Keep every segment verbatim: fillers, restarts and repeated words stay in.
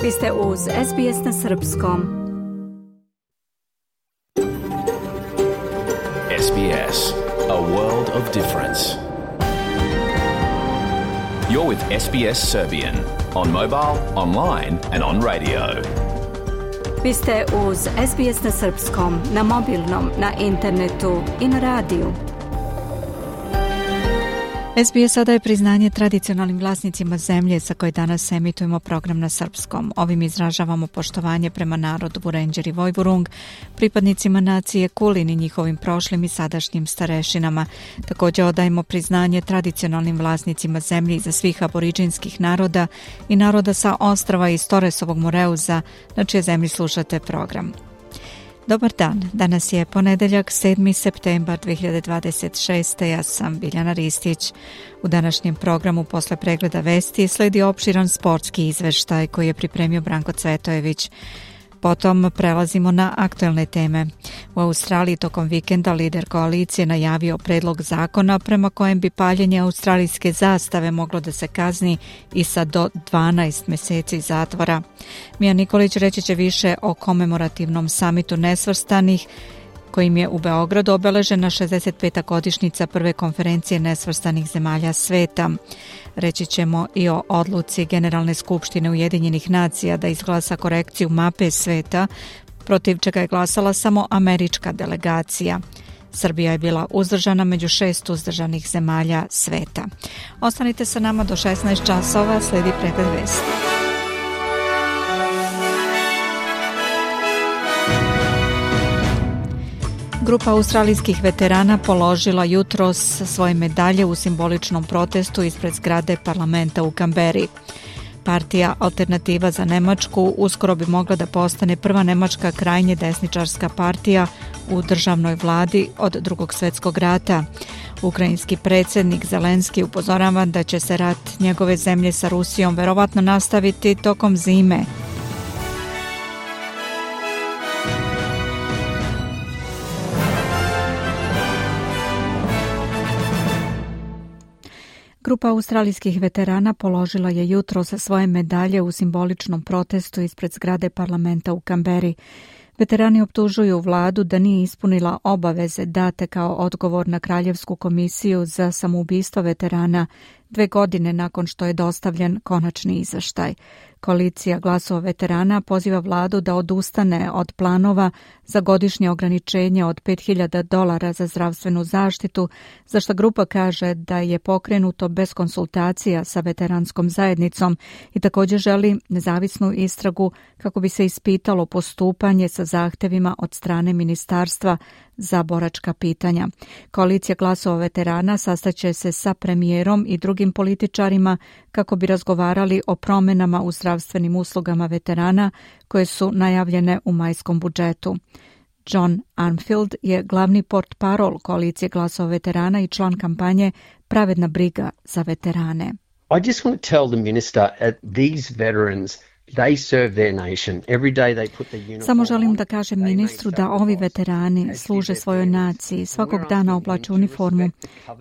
Vi ste uz S B S na srpskom. S B S, a world of difference. You're with S B S Serbian on mobile, online and on radio. Vi ste uz S B S na srpskom, na mobilnom, na internetu i na radiju. S B S sada je priznanje tradicionalnim vlasnicima zemlje sa koje danas emitujemo program na srpskom. Ovim izražavamo poštovanje prema narodu Vurenđer i Vojvurung, pripadnicima nacije Kulin i njihovim prošlim i sadašnjim starešinama. Također odajemo priznanje tradicionalnim vlasnicima zemlje za svih aboriđinskih naroda i naroda sa ostrava iz Toresovog Moreuza, na čije zemlji slušate program. Dobar dan, danas je ponedeljak sedmi septembar dve hiljade dvadeset šeste. Ja sam Biljana Ristić. U današnjem programu posle pregleda vesti sledi opširan sportski izveštaj koji je pripremio Branko Cvetojević. Potom prelazimo na aktuelne teme. U Australiji tokom vikenda lider koalicije najavio predlog zakona prema kojem bi paljenje australijske zastave moglo da se kazni i sa do dvanaest meseci zatvora. Mija Nikolić reći će više o komemorativnom samitu nesvrstanih kojim je u Beogradu obeležena šezdeset peta godišnjica prve konferencije nesvrstanih zemalja sveta. Reći ćemo i o odluci Generalne skupštine Ujedinjenih nacija da izglasa korekciju mape sveta, protiv čega je glasala samo američka delegacija. Srbija je bila uzdržana među šest uzdržanih zemalja sveta. Ostanite sa nama do šesnaest časova, sledi pregled vesti. Grupa australijskih veterana položila jutros svoje medalje u simboličnom protestu ispred zgrade parlamenta u Kamberi. Partija Alternativa za Nemačku uskoro bi mogla da postane prva nemačka krajnje desničarska partija u državnoj vladi od Drugog svjetskog rata. Ukrajinski predsjednik Zelenski upozorava da će se rat njegove zemlje sa Rusijom verovatno nastaviti tokom zime. Grupa australijskih veterana položila je jutros svoje medalje u simboličnom protestu ispred zgrade parlamenta u Kamberi. Veterani optužuju vladu da nije ispunila obaveze date kao odgovor na Kraljevsku komisiju za samoubistvo veterana dve godine nakon što je dostavljen konačni izveštaj. Koalicija glasova veterana poziva vladu da odustane od planova za godišnje ograničenje od pet hiljada dolara za zdravstvenu zaštitu, za što grupa kaže da je pokrenuto bez konsultacija sa veteranskom zajednicom i također želi nezavisnu istragu kako bi se ispitalo postupanje sa zahtevima od strane ministarstva za boračka pitanja. Koalicija glasova veterana sastaće se sa premijerom i drugim političarima kako bi razgovarali o promjenama u zdravstvenim uslugama veterana koje su najavljene u majskom budžetu. John Armfield je glavni portparol koalicije glasova veterana i član kampanje Pravedna briga za veterane. I just want to tell the minister at these veterans They serve their nation. Every day they put the uniform. Samo želim da kažem ministru da ovi veterani služe svojoj naciji, svakog dana oblače uniformu.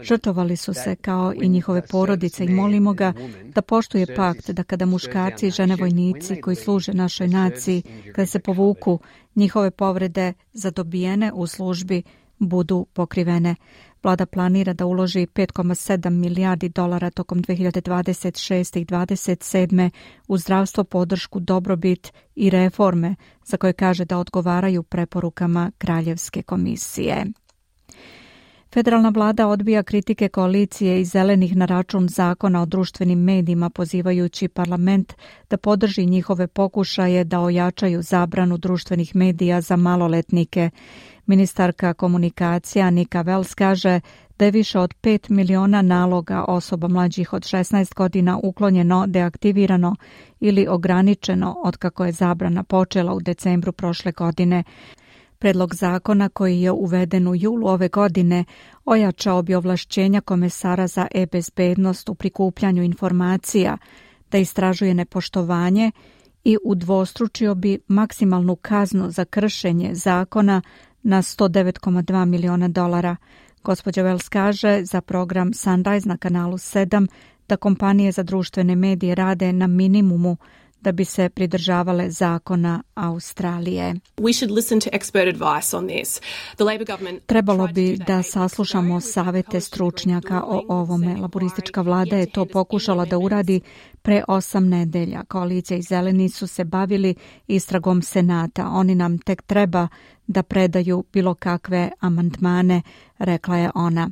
Žrtvovali su se kao i njihove porodice i molimo ga da poštuje pakt da kada muškarci i žene vojnici koji služe našoj naciji, kada se povuku, njihove povrede zadobijene u službi budu pokrivene. Vlada planira da uloži pet zarez sedam milijardi dolara tokom dve hiljade dvadeset šeste i dvadeset sedme u zdravstvo, podršku, dobrobit i reforme za koje kaže da odgovaraju preporukama Kraljevske komisije. Federalna vlada odbija kritike koalicije i zelenih na račun zakona o društvenim medijima, pozivajući parlament da podrži njihove pokušaje da ojačaju zabranu društvenih medija za maloletnike. Ministarka komunikacija Nika Wells kaže da je više od pet miliona naloga osoba mlađih od šesnaest godina uklonjeno, deaktivirano ili ograničeno otkako je zabrana počela u decembru prošle godine. Predlog zakona koji je uveden u julu ove godine ojačao bi ovlašćenja komesara za e-bezbednost u prikupljanju informacija, da istražuje nepoštovanje i udvostručio bi maksimalnu kaznu za kršenje zakona na sto devet zarez dva miliona dolara. Gospođa Wells kaže za program Sunrise na kanalu sedam da kompanije za društvene medije rade na minimumu da bi se pridržavale zakona Australije. Trebalo bi da saslušamo savete stručnjaka o ovome. Laboristička vlada je to pokušala da uradi pre osam nedelja. Koalicija i Zeleni su se bavili istragom Senata. Oni nam tek treba da predaju bilo kakve amandmane, rekla je ona.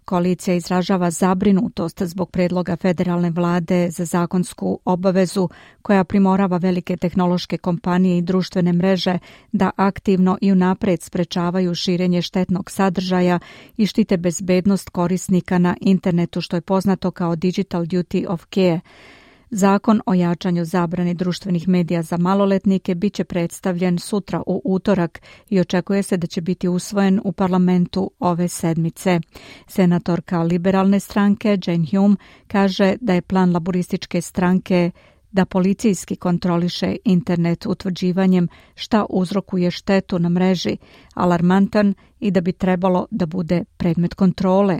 Koalicija izražava zabrinutost zbog predloga federalne vlade za zakonsku obavezu koja primorava velike tehnološke kompanije i društvene mreže da aktivno i unapred sprečavaju širenje štetnog sadržaja i štite bezbednost korisnika na internetu, što je poznato kao Digital Duty of Care. Zakon o jačanju zabrane društvenih medija za maloletnike bit će predstavljen sutra u utorak i očekuje se da će biti usvojen u parlamentu ove sedmice. Senatorka liberalne stranke Jane Hume kaže da je plan laborističke stranke da policijski kontroliše internet utvrđivanjem šta uzrokuje štetu na mreži alarmantan i da bi trebalo da bude predmet kontrole.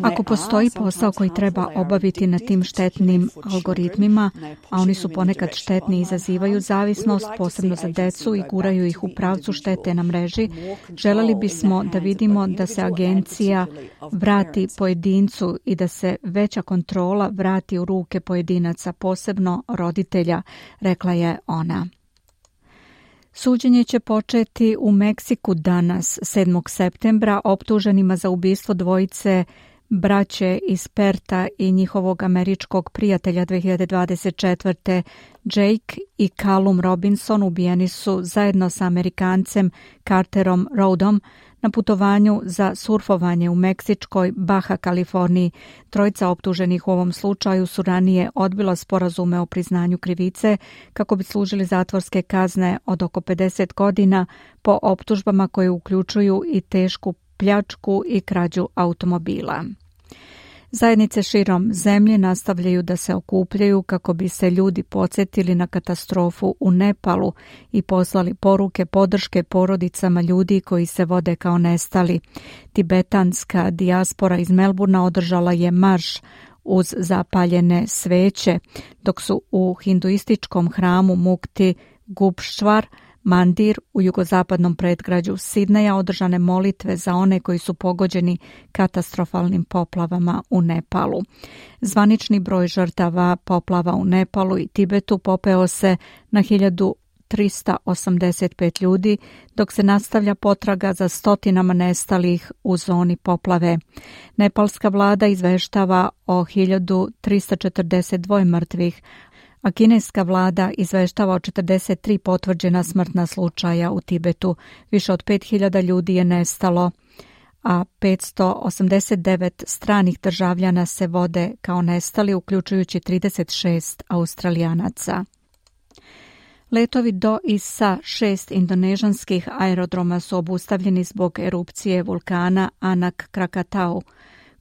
Ako postoji posao koji treba obaviti na tim štetnim algoritmima, a oni su ponekad štetni i izazivaju zavisnost, posebno za decu i guraju ih u pravcu štete na mreži, želeli bismo da vidimo da se agencija vrati pojedincu i da se veća kontrola vrati u ruke pojedinaca, posebno roditelja, rekla je ona. Suđenje će početi u Meksiku danas, sedmog septembra, optuženima za ubistvo dvojice braće iz Perta i njihovog američkog prijatelja dve hiljade dvadeset četvrte. Jake i Callum Robinson ubijeni su zajedno sa Amerikancem Carterom Rodom na putovanju za surfovanje u meksičkoj Baja Kaliforniji. Trojica optuženih u ovom slučaju su ranije odbila sporazume o priznanju krivice kako bi služili zatvorske kazne od oko pedeset godina po optužbama koje uključuju i tešku pljačku i krađu automobila. Zajednice širom zemlje nastavljaju da se okupljaju kako bi se ljudi podsjetili na katastrofu u Nepalu i poslali poruke podrške porodicama ljudi koji se vode kao nestali. Tibetanska dijaspora iz Melburna održala je marš uz zapaljene sveće, dok su u hinduističkom hramu Mukti Gupštvar Mandir u jugozapadnom predgrađu Sidneja održane molitve za one koji su pogođeni katastrofalnim poplavama u Nepalu. Zvanični broj žrtava poplava u Nepalu i Tibetu popeo se na hiljadu trista osamdeset pet ljudi, dok se nastavlja potraga za stotinama nestalih u zoni poplave. Nepalska vlada izveštava o hiljadu trista četrdeset dva mrtvih, a kineska vlada izveštava o četrdeset tri potvrđena smrtna slučaja u Tibetu. Više od pet hiljada ljudi je nestalo, a petsto osamdeset devet stranih državljana se vode kao nestali, uključujući trideset šest Australijanaca. Letovi do i sa šest indonežanskih aerodroma su obustavljeni zbog erupcije vulkana Anak Krakatau,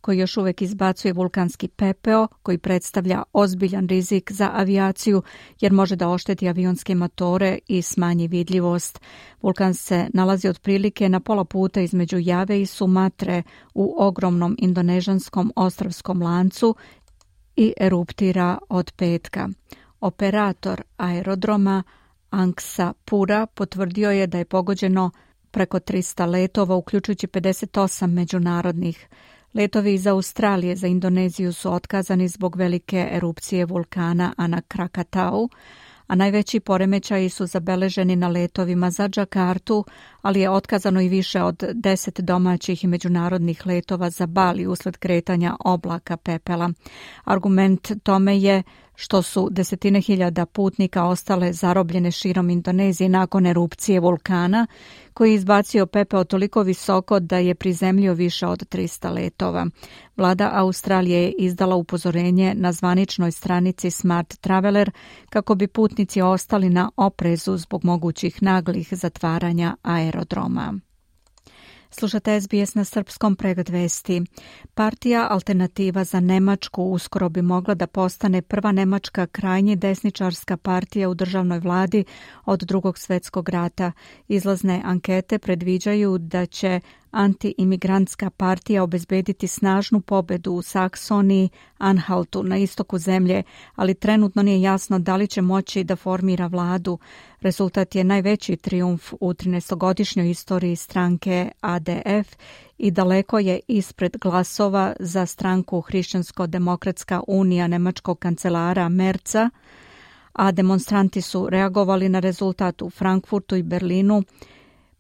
koji još uvijek izbacuje vulkanski pepeo, koji predstavlja ozbiljan rizik za avijaciju jer može da ošteti avionske motore i smanji vidljivost. Vulkan se nalazi otprilike na pola puta između Jave i Sumatre u ogromnom indonežanskom ostrvskom lancu i eruptira od petka. Operator aerodroma Angkasa Pura potvrdio je da je pogođeno preko trista letova, uključujući pedeset osam međunarodnih. Letovi iz Australije za Indoneziju su otkazani zbog velike erupcije vulkana Anak Krakatau, a najveći poremećaji su zabeleženi na letovima za Džakartu, ali je otkazano i više od deset domaćih i međunarodnih letova za Bali usled kretanja oblaka pepela. Argument tome je što su desetine hiljada putnika ostale zarobljene širom Indonezije nakon erupcije vulkana, koji je izbacio pepeo toliko visoko da je prizemljio više od trista letova. Vlada Australije je izdala upozorenje na zvaničnoj stranici Smart Traveler kako bi putnici ostali na oprezu zbog mogućih naglih zatvaranja aerodroma. Slušate S B S na srpskom, pregled vesti. Partija Alternativa za Nemačku uskoro bi mogla da postane prva nemačka krajnje desničarska partija u državnoj vladi od Drugog svjetskog rata. Izlazne ankete predviđaju da će anti-imigrantska partija obezbediti snažnu pobedu u Saksoniji, Anhaltu na istoku zemlje, ali trenutno nije jasno da li će moći da formira vladu. Rezultat je najveći trijumf u trinaestogodišnjoj istoriji stranke A D F i daleko je ispred glasova za stranku Hrišćansko-demokratska unija nemačkog kancelara Merca, a demonstranti su reagovali na rezultat u Frankfurtu i Berlinu,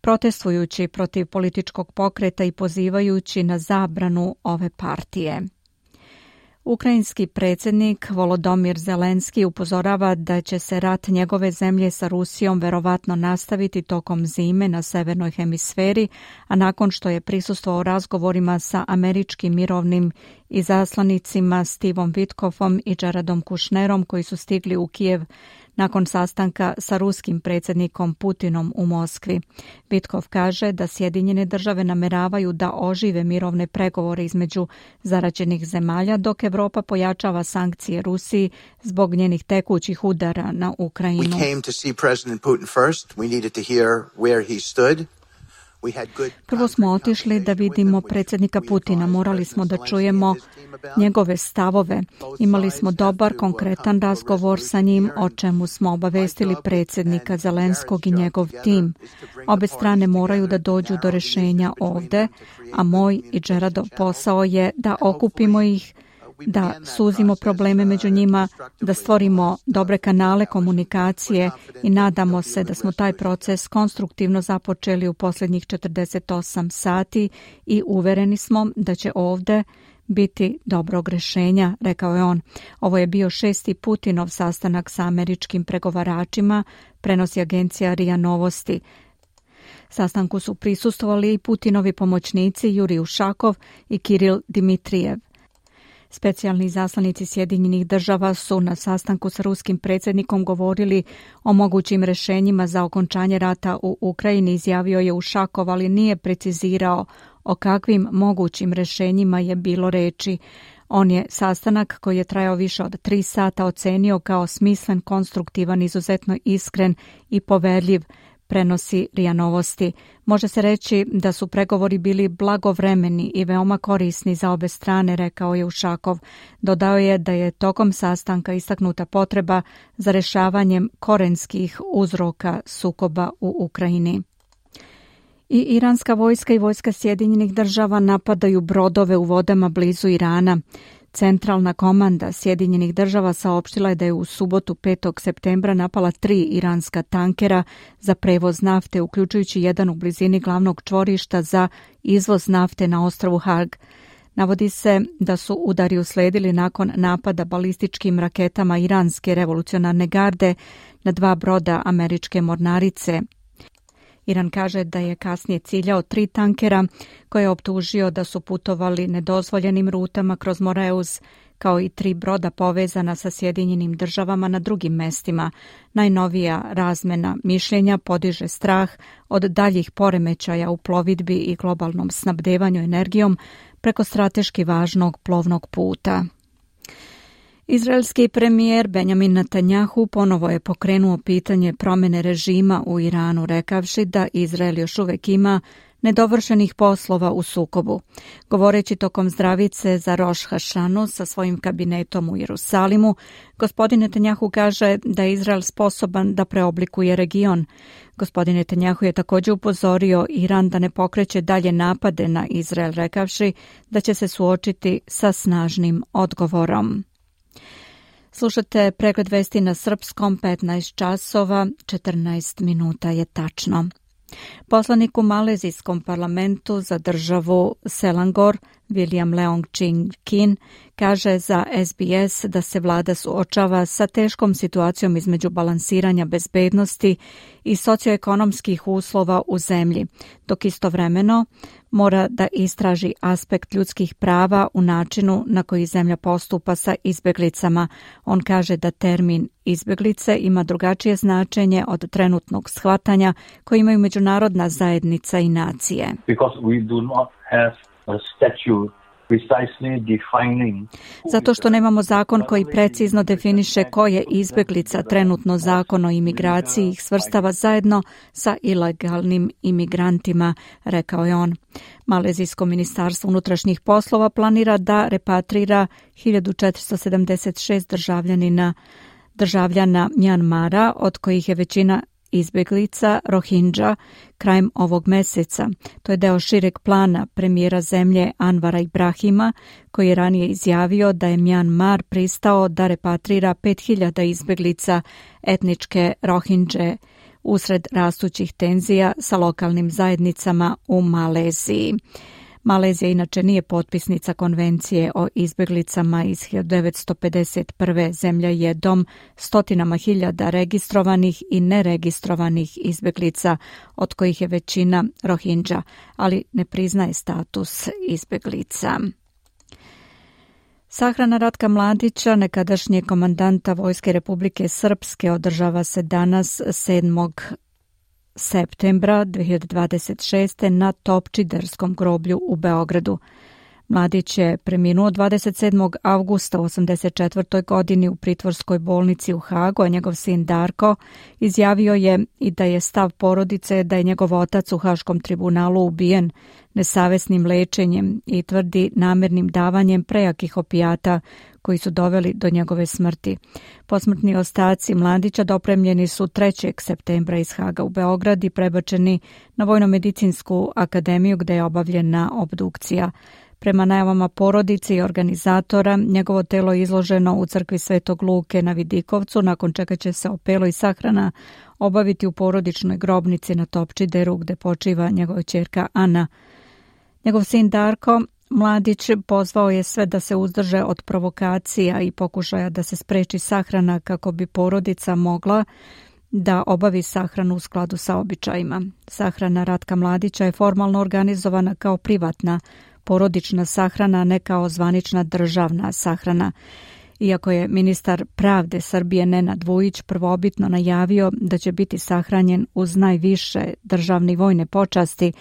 protestujući protiv političkog pokreta i pozivajući na zabranu ove partije. Ukrajinski predsjednik Volodomir Zelenski upozorava da će se rat njegove zemlje sa Rusijom verovatno nastaviti tokom zime na severnoj hemisferi, a nakon što je prisustvovao razgovorima sa američkim mirovnim izaslanicima Stevom Witkoffom i Jaredom Kushnerom koji su stigli u Kijev nakon sastanka sa ruskim predsjednikom Putinom u Moskvi. Witkoff kaže da Sjedinjene države nameravaju da ožive mirovne pregovore između zaraćenih zemalja, dok Evropa pojačava sankcije Rusiji zbog njenih tekućih udara na Ukrajinu. We came to see President Putin first. We needed to hear where he stood. Prvo smo otišli da vidimo predsjednika Putina, morali smo da čujemo njegove stavove. Imali smo dobar, konkretan razgovor sa njim, o čemu smo obavestili predsjednika Zelenskog i njegov tim. Obe strane moraju da dođu do rješenja ovde, a moj i Jaredov posao je da okupimo ih, da suzimo probleme među njima, da stvorimo dobre kanale komunikacije i nadamo se da smo taj proces konstruktivno započeli u posljednjih četrdeset osam sati i uvereni smo da će ovde biti dobrog rješenja, rekao je on. Ovo je bio šesti Putinov sastanak sa američkim pregovaračima, prenosi agencija R I A Novosti. Sastanku su prisustvovali i Putinovi pomoćnici Jurij Ušakov i Kiril Dimitrijev. Specijalni izaslanici Sjedinjenih država su na sastanku sa ruskim predsjednikom govorili o mogućim rješenjima za okončanje rata u Ukrajini, izjavio je Ušakov, ali nije precizirao o kakvim mogućim rješenjima je bilo reči. On je sastanak koji je trajao više od tri sata ocenio kao smislen, konstruktivan, izuzetno iskren i poverljiv, prenosi R I A Novosti. Može se reći da su pregovori bili blagovremeni i veoma korisni za obe strane, rekao je Ušakov. Dodao je da je tokom sastanka istaknuta potreba za rješavanjem korenskih uzroka sukoba u Ukrajini. I iranska vojska i vojska Sjedinjenih država napadaju brodove u vodama blizu Irana. Centralna komanda Sjedinjenih država saopštila je da je u subotu petog septembra napala tri iranska tankera za prevoz nafte, uključujući jedan u blizini glavnog čvorišta za izvoz nafte na ostrvu Hag. Navodi se da su udari usledili nakon napada balističkim raketama iranske revolucionarne garde na dva broda američke mornarice. Iran kaže da je kasnije ciljao tri tankera koje je optužio da su putovali nedozvoljenim rutama kroz Moreus, kao i tri broda povezana sa Sjedinjenim državama na drugim mestima. Najnovija razmena mišljenja podiže strah od daljih poremećaja u plovidbi i globalnom snabdevanju energijom preko strateški važnog plovnog puta. Izraelski premijer Benjamin Netanjahu ponovo je pokrenuo pitanje promjene režima u Iranu, rekavši da Izrael još uvijek ima nedovršenih poslova u sukobu. Govoreći tokom zdravice za Roš Hašanu sa svojim kabinetom u Jerusalimu, gospodin Netanjahu kaže da je Izrael sposoban da preoblikuje region. Gospodin Netanjahu je također upozorio Iran da ne pokreće dalje napade na Izrael, rekavši da će se suočiti sa snažnim odgovorom. Slušate pregled vesti na srpskom, petnaest časova, četrnaest minuta je tačno. Poslanik u malezijskom parlamentu za državu Selangor, William Leong Ching Kin, kaže za S B S da se vlada suočava sa teškom situacijom između balansiranja bezbednosti i socioekonomskih uslova u zemlji, dok istovremeno mora da istraži aspekt ljudskih prava u načinu na koji zemlja postupa sa izbjeglicama. On kaže da termin izbjeglice ima drugačije značenje od trenutnog shvatanja koje imaju međunarodna zajednica i nacije. Because we do not have a statute Zato što nemamo zakon koji precizno definiše ko je izbeglica, trenutno zakon o imigraciji ih svrstava zajedno sa ilegalnim imigrantima, rekao je on. Malezijsko ministarstvo unutrašnjih poslova planira da repatrira hiljadu četiristo sedamdeset šest državljanina državljana Mjanmara, od kojih je većina izbeglica Rohingya krajem ovog meseca. To je deo šireg plana premijera zemlje Anvara Ibrahima, koji je ranije izjavio da je Mjanmar pristao da repatrira pet hiljada izbeglica etničke Rohingje usred rastućih tenzija sa lokalnim zajednicama u Maleziji. Malezija inače nije potpisnica konvencije o izbeglicama iz hiljadu devetsto pedeset prve. Zemlja je dom stotinama hiljada registrovanih i neregistrovanih izbeglica, od kojih je većina Rohingya, ali ne priznaje status izbeglica. Sahrana Ratka Mladića, nekadašnjeg komandanta Vojske Republike Srpske, održava se danas sedmog septembra dve hiljade dvadeset šeste. na Topčiderskom groblju u Beogradu. Mladić je preminuo dvadeset sedmog avgusta u osamdeset četvrtoj. godini u pritvorskoj bolnici u Hagu, a njegov sin Darko izjavio je i da je stav porodice da je njegov otac u Haškom tribunalu ubijen nesavesnim lečenjem i tvrdi namernim davanjem prejakih opijata koji su doveli do njegove smrti. Posmrtni ostaci Mladića dopremljeni su trećeg septembra iz Haga u Beograd i prebačeni na Vojno-medicinsku akademiju gde je obavljena obdukcija. Prema najavama porodice i organizatora, njegovo telo je izloženo u crkvi Svetog Luke na Vidikovcu, nakon čega će se opelo i sahrana obaviti u porodičnoj grobnici na Topčideru, gde počiva njegova ćerka Ana. Njegov sin Darko Mladić pozvao je sve da se uzdrže od provokacija i pokušaja da se spreči sahrana kako bi porodica mogla da obavi sahranu u skladu sa običajima. Sahrana Ratka Mladića je formalno organizovana kao privatna porodična sahrana, ne kao zvanična državna sahrana. Iako je ministar pravde Srbije Nenad Vujić prvobitno najavio da će biti sahranjen uz najviše državne i vojne počasti,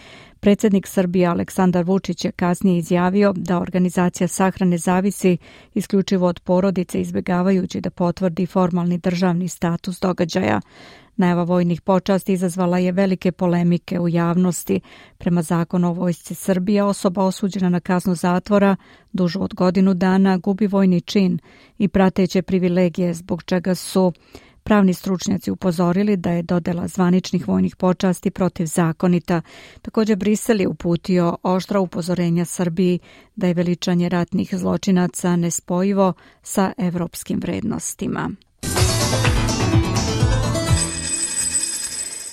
predsjednik Srbije Aleksandar Vučić je kasnije izjavio da organizacija sahrane zavisi isključivo od porodice, izbjegavajući da potvrdi formalni državni status događaja. Najava vojnih počasti izazvala je velike polemike u javnosti. Prema zakonu o vojsci Srbije, osoba osuđena na kaznu zatvora dužu od godinu dana gubi vojni čin i prateće privilegije, zbog čega su pravni stručnjaci upozorili da je dodela zvaničnih vojnih počasti protivzakonita. Također Brisel je uputio oštra upozorenja Srbiji da je veličanje ratnih zločinaca nespojivo sa evropskim vrednostima.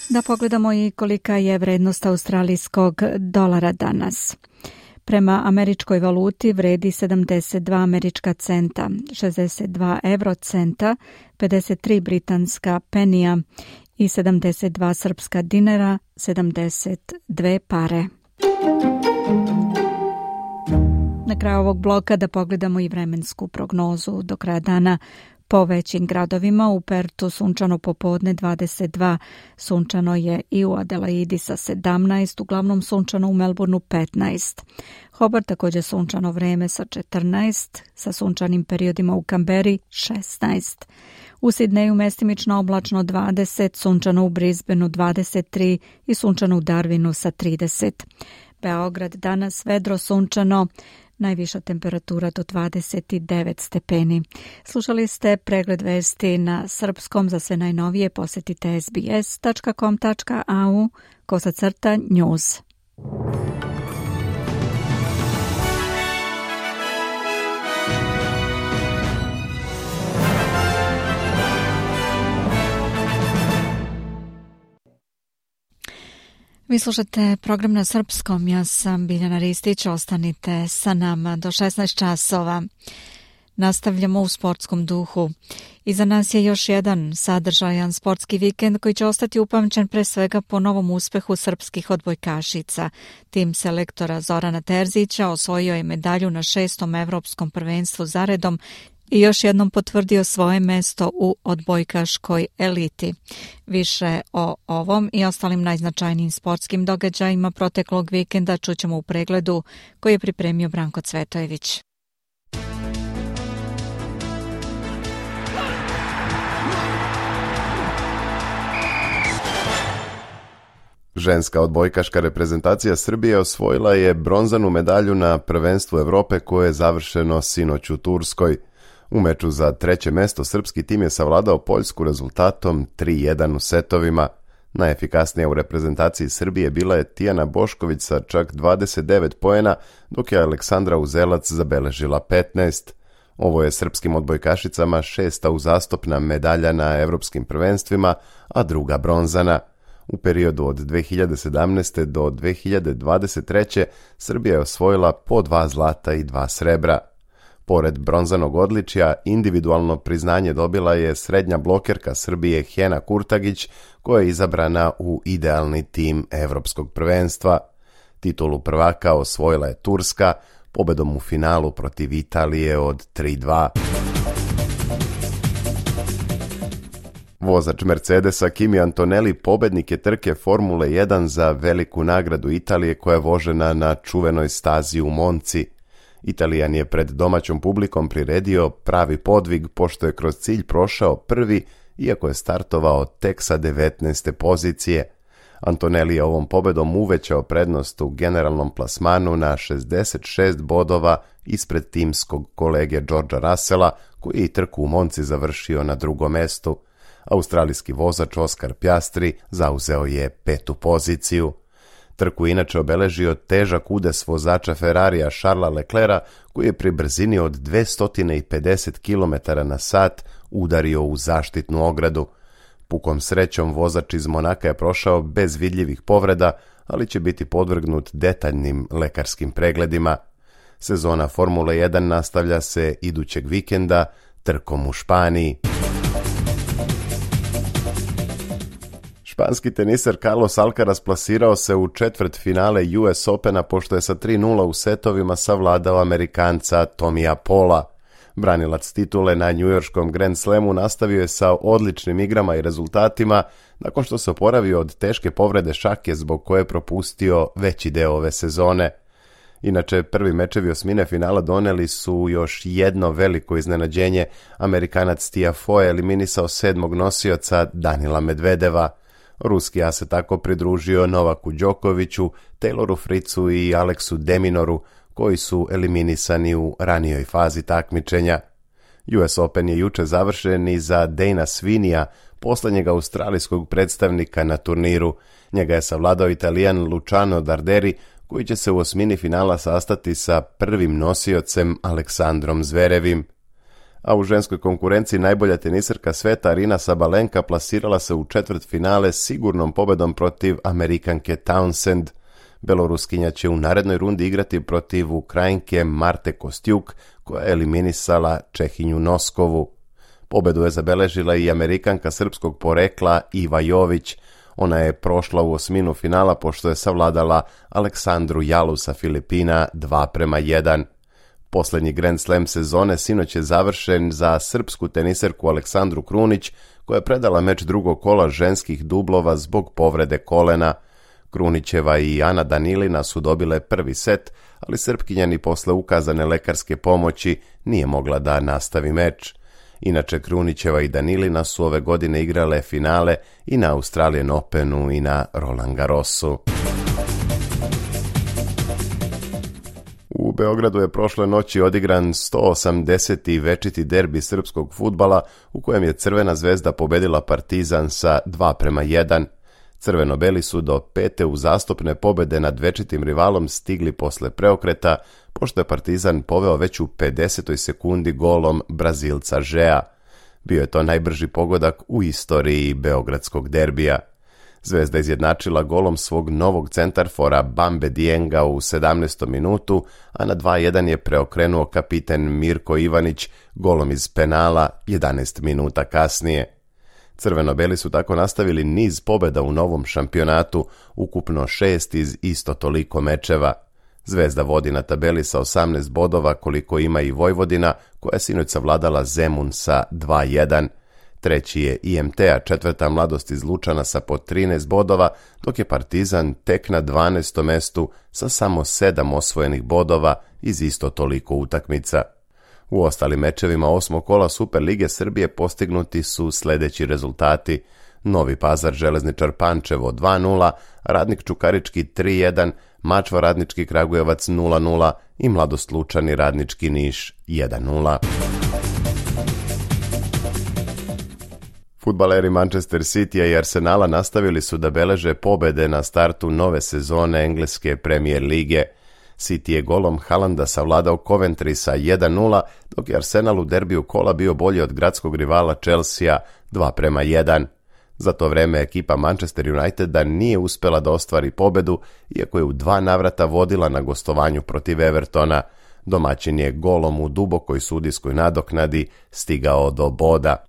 Da pogledamo i kolika je vrednost australijskog dolara danas. Prema američkoj valuti vredi sedamdeset dva američka centa, šezdeset dva eurocenta, pedeset tri britanska penija i sedamdeset dva srpska dinara, sedamdeset dve pare. Na kraju ovog bloka da pogledamo i vremensku prognozu do kraja dana. Po većim gradovima, u Pertu sunčano popodne dvadeset dva, sunčano je i u Adelaidi sa sedamnaest, uglavnom sunčano u Melbourneu petnaest. Hobart također sunčano vreme sa četrnaest, sa sunčanim periodima u Kamberi šesnaest. U Sidneju mestimično oblačno dvadeset, sunčano u Brisbaneu dvadeset tri i sunčano u Darwinu sa trideset. Beograd danas vedro sunčano, najviša temperatura do dvadeset devet stepeni. Slušali ste pregled vesti na srpskom. Za sve najnovije posjetite es be es tačka com tačka a u kosacrta news. Vi slušate program na srpskom, ja sam Biljana Ristić, ostanite sa nama do šesnaest časova. Nastavljamo u sportskom duhu. Iza nas je još jedan sadržajan sportski vikend koji će ostati upamćen pre svega po novom uspehu srpskih odbojkašica. Tim selektora Zorana Terzića osvojio je medalju na šestom evropskom prvenstvu zaredom i još jednom potvrdio svoje mesto u odbojkaškoj eliti. Više o ovom i ostalim najznačajnijim sportskim događajima proteklog vikenda čućemo u pregledu koji je pripremio Branko Cvetojević. Ženska odbojkaška reprezentacija Srbije osvojila je bronzanu medalju na prvenstvu Evrope koje je završeno sinoć u Turskoj. U meču za treće mesto srpski tim je savladao Poljsku rezultatom tri jedan u setovima. Najefikasnija u reprezentaciji Srbije bila je Tijana Bošković sa čak dvadeset devet poena, dok je Aleksandra Uzelac zabeležila petnaest. Ovo je srpskim odbojkašicama šesta uzastopna medalja na evropskim prvenstvima, a druga bronzana. U periodu od dve hiljade sedamnaeste. do dve hiljade dvadeset treće. Srbija je osvojila po dva zlata i dva srebra. Pored bronzanog odličja, individualno priznanje dobila je srednja blokerka Srbije Hena Kurtagić, koja je izabrana u idealni tim evropskog prvenstva. Titulu prvaka osvojila je Turska, pobedom u finalu protiv Italije od tri dva. Vozač Mercedesa Kimi Antonelli pobednik je trke Formule jedan za veliku nagradu Italije koja je vožena na čuvenoj stazi u Monci. Italijan je pred domaćom publikom priredio pravi podvig pošto je kroz cilj prošao prvi, iako je startovao tek sa devetnaeste pozicije. Antonelli je ovom pobedom uvećao prednost u generalnom plasmanu na šezdeset šest bodova ispred timskog kolege Georgea Russella, koji je i trku u Monci završio na drugom mestu. Australijski vozač Oscar Piastri zauzeo je petu poziciju. Trku inače obeležio težak udes vozača Ferrarija Charlesa Leclerca, koji je pri brzini od dvesta pedeset kilometara na sat udario u zaštitnu ogradu. Pukom srećom vozač iz Monaka je prošao bez vidljivih povreda, ali će biti podvrgnut detaljnim lekarskim pregledima. Sezona Formule jedan nastavlja se idućeg vikenda trkom u Španiji. Španski teniser Carlos Alcaraz plasirao se u četvrt finale U S Opena pošto je sa tri nula u setovima savladao Amerikanca Tomija Pola. Branilac titule na njujorškom Grand Slamu nastavio je sa odličnim igrama i rezultatima nakon što se oporavio od teške povrede šake zbog koje je propustio veći deo ove sezone. Inače, prvi mečevi osmine finala doneli su još jedno veliko iznenađenje. Amerikanac Tiafoe eliminisao sedmog nosioca Danila Medvedeva. Ruski as se tako pridružio Novaku Đokoviću, Tayloru Fritzu i Aleksu Deminoru, koji su eliminisani u ranijoj fazi takmičenja. U S Open je juče završen i za Dana Svinija, poslednjeg australijskog predstavnika na turniru. Njega je savladao Italijan Luciano Darderi, koji će se u osmini finala sastati sa prvim nosiocem Aleksandrom Zverevim. A u ženskoj konkurenciji najbolja teniserka sveta Arina Sabalenka plasirala se u četvrt finale sigurnom pobedom protiv Amerikanke Townsend. Beloruskinja će u narednoj rundi igrati protiv Ukrajinke Marte Kostjuk, koja je eliminisala Čehinju Noskovu. Pobedu je zabeležila i Amerikanka srpskog porekla Iva Jović. Ona je prošla u osminu finala pošto je savladala Aleksandru Jalu sa Filipina dva prema jedan. Poslednji Grand Slam sezone sinoć je završen za srpsku teniserku Aleksandru Krunić, koja je predala meč drugog kola ženskih dublova zbog povrede kolena. Krunićeva i Ana Danilina su dobile prvi set, ali Srpkinja ni posle ukazane lekarske pomoći nije mogla da nastavi meč. Inače, Krunićeva i Danilina su ove godine igrale finale i na Australian Openu i na Roland Garrosu. U Beogradu je prošle noći odigran sto osamdeseti večiti derbi srpskog fudbala u kojem je Crvena zvezda pobedila Partizan sa dva prema jedan. Crveno-beli su do pete uzastopne pobede nad večitim rivalom stigli posle preokreta, pošto je Partizan poveo već u pedesetoj sekundi golom Brazilca Žea. Bio je to najbrži pogodak u istoriji beogradskog derbija. Zvezda izjednačila golom svog novog centarfora Bambe Dienga u sedamnaestom minutu, a na dva jedan je preokrenuo kapiten Mirko Ivanić golom iz penala jedanaest minuta kasnije. Crveno-beli su tako nastavili niz pobjeda u novom šampionatu, ukupno šest iz isto toliko mečeva. Zvezda vodi na tabeli sa osamnaest bodova koliko ima i Vojvodina, koja je sinoć savladala Zemun sa dva jedan. Treći je I M T, a četvrta Mladost iz Lučana sa po trinaest bodova, dok je Partizan tek na dvanaestom mestu sa samo sedam osvojenih bodova iz isto toliko utakmica. U ostalim mečevima osmog kola Superlige Srbije postignuti su sljedeći rezultati: Novi Pazar Železničar Pančevo dva nula, Radnik Čukarički tri jedan, Mačva Radnički Kragujevac nula nula i Mladost Lučani Radnički Niš jedan nula. Fudbaleri Manchester Citya i Arsenala nastavili su da beleže pobede na startu nove sezone engleske Premier lige. City je golom Haalanda savladao Coventry sa jedan nula, dok je Arsenal u derbiju kola bio bolji od gradskog rivala Chelsea dva prema jedan. Za to vreme ekipa Manchester Uniteda nije uspela da ostvari pobedu, iako je u dva navrata vodila na gostovanju protiv Evertona. Domaćin je golom u dubokoj sudijskoj nadoknadi stigao do boda.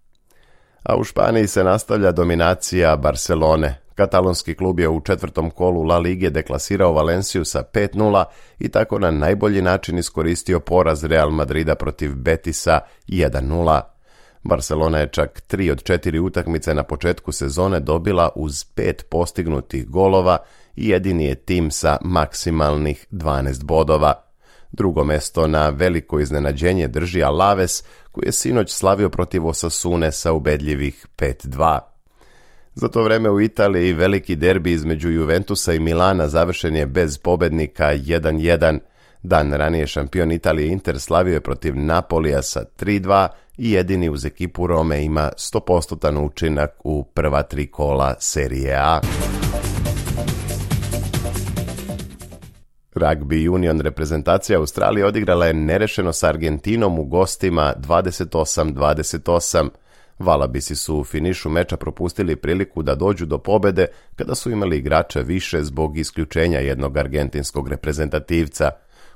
A u Španiji se nastavlja dominacija Barcelone. Katalonski klub je u četvrtom kolu La Lige deklasirao Valenciju sa pet nula i tako na najbolji način iskoristio poraz Real Madrida protiv Betisa jedan nula. Barcelona je čak tri od četiri utakmice na početku sezone dobila uz pet postignutih golova i jedini je tim sa maksimalnih dvanaest bodova. Drugo mesto na veliko iznenađenje drži Alaves, koji je sinoć slavio protiv Osasune sa ubedljivih pet dva. Za to vreme u Italiji veliki derbi između Juventusa i Milana završen je bez pobednika jedan jedan. Dan ranije šampion Italije Inter slavio je protiv Napolija sa tri dva i jedini uz ekipu Rome ima sto posto učinak u prva tri kola Serije A. Rugby Union reprezentacija Australije odigrala je nerešeno s Argentinom u gostima dvadeset osam dvadeset osam. Valabisi su u finišu meča propustili priliku da dođu do pobede kada su imali igrača više zbog isključenja jednog argentinskog reprezentativca.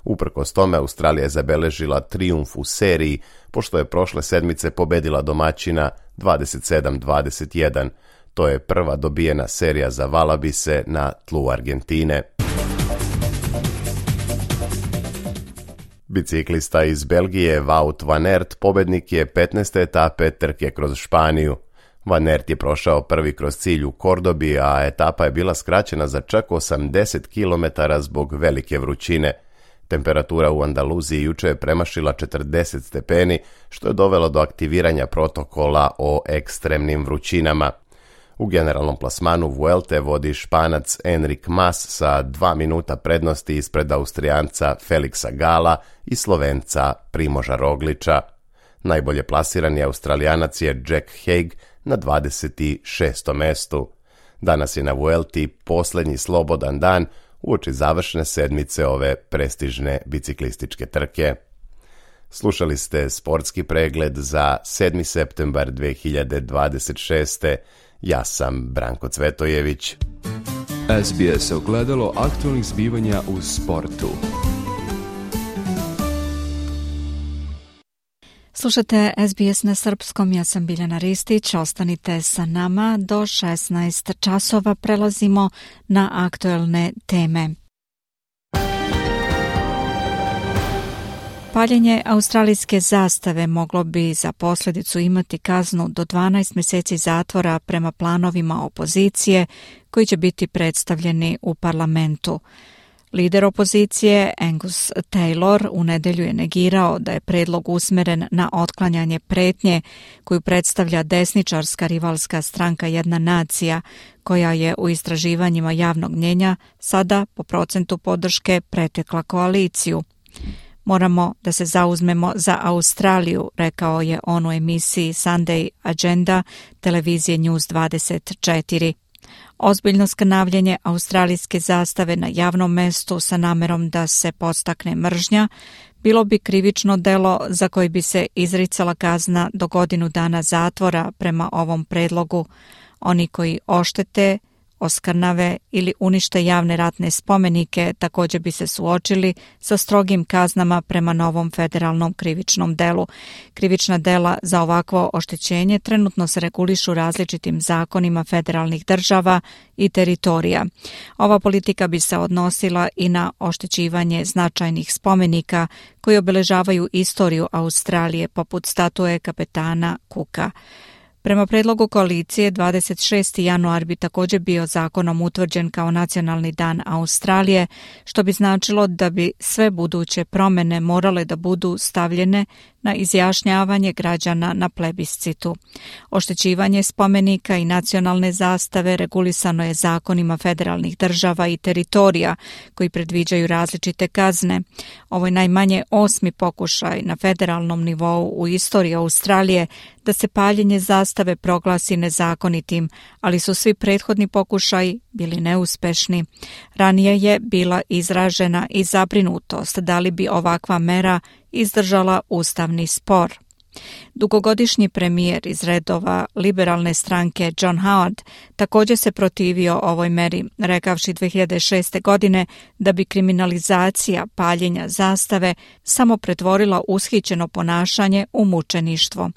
Uprkos tome, Australija je zabeležila trijumf u seriji, pošto je prošle sedmice pobedila domaćina dvadeset sedam dvadeset jedan. To je prva dobijena serija za Valabise na tlu Argentine. Biciklista iz Belgije Wout van Aert pobednik je petnaeste etape trke kroz Španiju. Van Aert je prošao prvi kroz cilj u Kordobi, a etapa je bila skraćena za čak osamdeset kilometara zbog velike vrućine. Temperatura u Andaluziji juče je premašila četrdeset stepeni, što je dovelo do aktiviranja protokola o ekstremnim vrućinama. U generalnom plasmanu Vuelte vodi Španac Enric Mas sa dva minuta prednosti ispred Austrijanca Felixa Gala i Slovenca Primoža Rogliča. Najbolje plasirani Australijanac je Jack Haig na dvadeset šestom mestu. Danas je na Vuelti posljednji slobodan dan uoči završne sedmice ove prestižne biciklističke trke. Slušali ste sportski pregled za sedmi septembar dve hiljade dvadeset šeste. Ja sam Branko Cvetojević. S B S ogledalo aktualnih zbivanja u sportu. Slušate S B S na srpskom, ja sam Biljana Ristić, ostanite sa nama do šesnaest časova, prelazimo na aktuelne teme. Paljenje australijske zastave moglo bi za posljedicu imati kaznu do dvanaest mjeseci zatvora prema planovima opozicije koji će biti predstavljeni u parlamentu. Lider opozicije Angus Taylor u nedjelju je negirao da je predlog usmjeren na otklanjanje pretnje koju predstavlja desničarska rivalska stranka Jedna nacija, koja je u istraživanjima javnog mnjenja sada po procentu podrške pretekla koaliciju. Moramo da se zauzmemo za Australiju, rekao je on u emisiji Sunday Agenda televizije News dvadeset četiri. Ozbiljno skrnavljenje australijske zastave na javnom mestu sa namerom da se podstakne mržnja bilo bi krivično delo za koji bi se izricala kazna do godinu dana zatvora prema ovom predlogu. Oni koji oštete oskrnave ili unište javne ratne spomenike, također bi se suočili sa strogim kaznama prema novom federalnom krivičnom delu. Krivična dela za ovakvo oštećenje trenutno se regulišu različitim zakonima federalnih država i teritorija. Ova politika bi se odnosila i na oštećivanje značajnih spomenika koji obeležavaju istoriju Australije, poput statue kapetana Cooka. Prema predlogu koalicije, dvadeset šesti januar bi također bio zakonom utvrđen kao nacionalni dan Australije, što bi značilo da bi sve buduće promjene morale da budu stavljene na izjašnjavanje građana na plebiscitu. Oštećivanje spomenika i nacionalne zastave regulisano je zakonima federalnih država i teritorija koji predviđaju različite kazne. Ovo je najmanje osmi pokušaj na federalnom nivou u istoriji Australije da se paljenje zastave proglasi nezakonitim, ali su svi prethodni pokušaji bili neuspešni. Ranije je bila izražena i zabrinutost da li bi ovakva mera izdržala ustavni spor. Dugogodišnji premijer iz redova liberalne stranke John Howard također se protivio ovoj meri, rekavši dve hiljade šeste. godine da bi kriminalizacija paljenja zastave samo pretvorila ushićeno ponašanje u mučeništvo.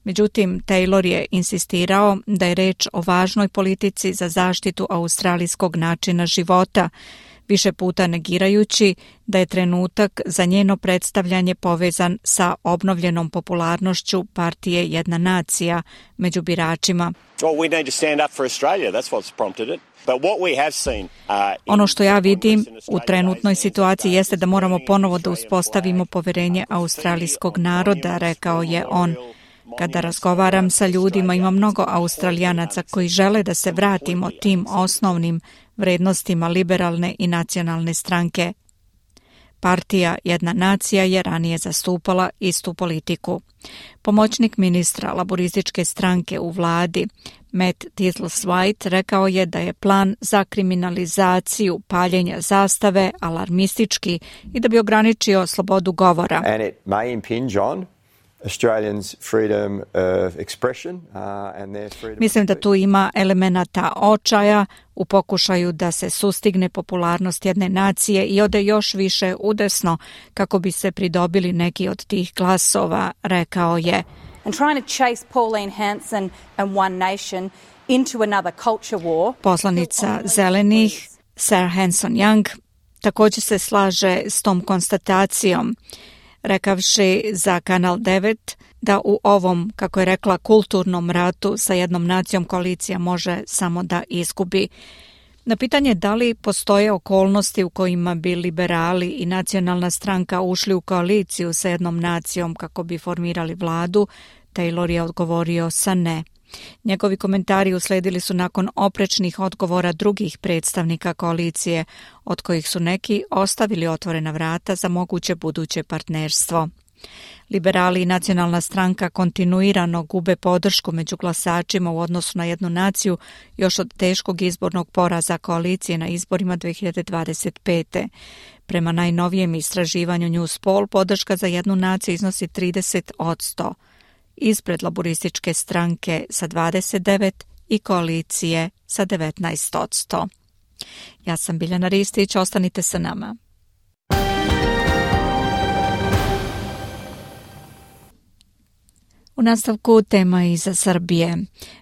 Međutim, Taylor je insistirao da je reč o važnoj politici za zaštitu australijskog načina života, više puta negirajući da je trenutak za njeno predstavljanje povezan sa obnovljenom popularnošću partije Jedna nacija među biračima. Ono što ja vidim u trenutnoj situaciji jeste da moramo ponovo da uspostavimo poverenje australijskog naroda, rekao je on. Kada razgovaram sa ljudima, ima mnogo Australijanaca koji žele da se vratimo tim osnovnim vrednostima liberalne i nacionalne stranke. Partija Jedna nacija je ranije zastupala istu politiku. Pomoćnik ministra laborističke stranke u vladi, Matt Thistlethwaite, rekao je da je plan za kriminalizaciju paljenja zastave alarmistički i da bi ograničio slobodu govora. And it may impinge on Australians' freedom of expression, uh, and their freedom. Mislim da tu ima elemenata očaja u pokušaju da se sustigne popularnost jedne nacije i ode još više udesno kako bi se pridobili neki od tih glasova, rekao je. And trying to chase Pauline Hanson and One Nation into another culture war. Poslanica Zelenih, Sarah Hanson-Young, također se slaže s tom konstatacijom, rekavši za Kanal devet da u ovom, kako je rekla, kulturnom ratu sa jednom nacijom koalicija može samo da izgubi. Na pitanje da li postoje okolnosti u kojima bi liberali i nacionalna stranka ušli u koaliciju sa jednom nacijom kako bi formirali vladu, Taylor je odgovorio sa ne. Njegovi komentari usledili su nakon oprečnih odgovora drugih predstavnika koalicije, od kojih su neki ostavili otvorena vrata za moguće buduće partnerstvo. Liberali i nacionalna stranka kontinuirano gube podršku među glasačima u odnosu na jednu naciju još od teškog izbornog poraza koalicije na izborima dve hiljade dvadeset pete. Prema najnovijem istraživanju Newspoll podrška za jednu naciju iznosi trideset posto. Ispred laborističke stranke sa dvadeset devet i koalicije sa devetnaest posto. Ja sam Biljana Ristić, ostanite sa nama. U nastavku tema iz Srbije.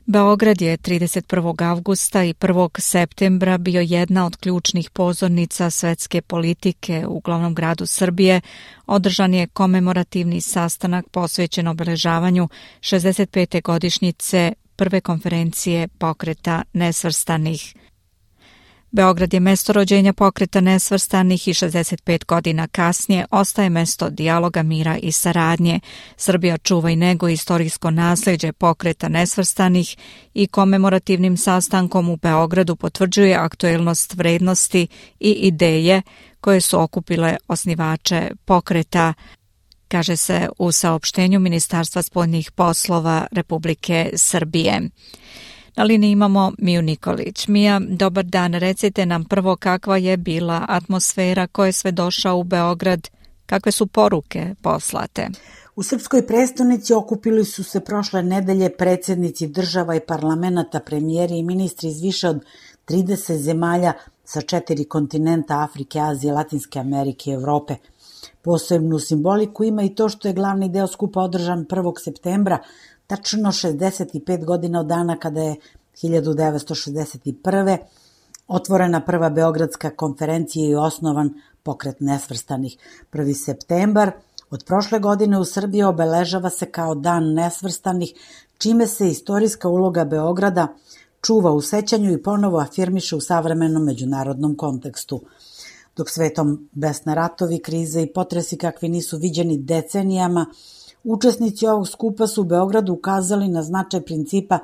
Beograd je trideset prvog avgusta i prvog septembra bio jedna od ključnih pozornica svetske politike u glavnom gradu Srbije. Održan je komemorativni sastanak posvećen obeležavanju šezdeset pete godišnjice prve konferencije Pokreta nesvrstanih. Beograd je mesto rođenja Pokreta nesvrstanih i šezdeset pet godina kasnije ostaje mesto dijaloga, mira i saradnje. Srbija čuva i neguje istorijsko nasleđe Pokreta nesvrstanih i komemorativnim sastankom u Beogradu potvrđuje aktuelnost vrednosti i ideje koje su okupile osnivače pokreta, kaže se u saopštenju Ministarstva spoljnih poslova Republike Srbije. Na liniji imamo Miju Nikolić. Mija, dobar dan. Recite nam prvo kakva je bila atmosfera, ko je sve došao u Beograd, kakve su poruke poslate? U srpskoj prestonici okupili su se prošle nedelje predsjednici država i parlamenata, premijeri i ministri iz više od trideset zemalja sa četiri kontinenta Afrike, Azije, Latinske Amerike i Evrope. Posebnu simboliku ima i to što je glavni deo skupa održan prvog septembra, tačno šezdeset pet godina od dana kada je hiljadu devetsto šezdeset prve. otvorena prva Beogradska konferencija i osnovan Pokret nesvrstanih. prvi septembar od prošle godine u Srbiji obeležava se kao Dan nesvrstanih, čime se istorijska uloga Beograda čuva u sećanju i ponovo afirmiše u savremenom međunarodnom kontekstu. Dok svetom besne ratovi, krize i potresi kakvi nisu viđeni decenijama, učesnici ovog skupa su u Beogradu ukazali na značaj principa